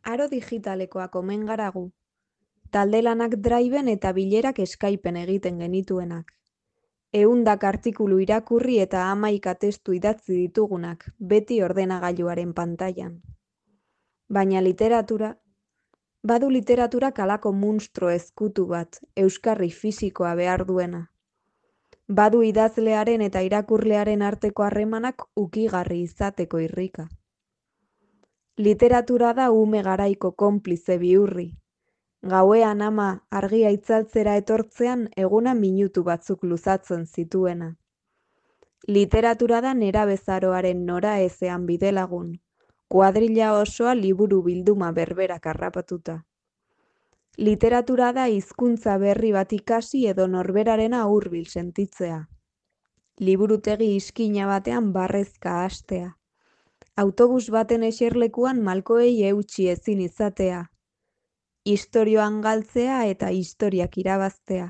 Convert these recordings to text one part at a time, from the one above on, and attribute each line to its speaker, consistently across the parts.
Speaker 1: Aro digitalekoak omen gara gu. Talde lanak Driven eta bilerak Skypen egiten genituenak. 100 artikulu irakurri eta 11 testu idatzi ditugunak, beti ordenagailuaren pantailan. Baina badu literaturak halako munstro ezkutu bat, euskarri fisikoa behar duena. Badu idazlearen eta irakurlearen arteko harremanak ukigarri izateko irrika. Literatura da ume garaiko konplize bihurri. Gauean ama argia itzaltzera etortzean eguna minutu batzuk luzatzen zituena. Literatura da nerabezaroaren noraezean bidelagun, kuadrilla osoa liburu bilduma berberak harrapatuta. Literatura da hizkuntza berri bat ikasi edo norberarena hurbil sentitzea. Liburutegi iskina batean barrezka hastea. Autobus baten eserlekuan malkoei eutsi ezin izatea. Istorioan galtzea eta historiak irabaztea.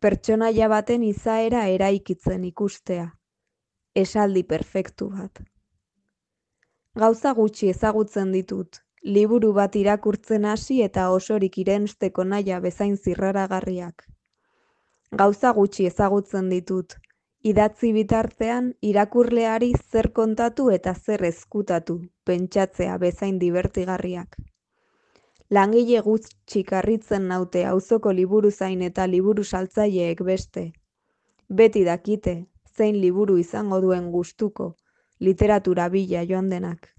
Speaker 1: Pertsonaia baten izaera eraikitzen ikustea. Esaldi perfektu bat. Gauza gutxi ezagutzen ditut, liburu bat irakurtzen hasi eta osorik irensteko nahia bezain zirraragarriak. Gauza gutxi ezagutzen ditut, idatzi bitartean irakurleari zer kontatu eta zer ezkutatu, pentsatzea bezain dibertigarriak. Langile gutxik harritzen naute auzoko liburuzain eta liburu saltzaileek beste. Beti dakite, zein liburu izango duen gustuko, literatura bila joan denak.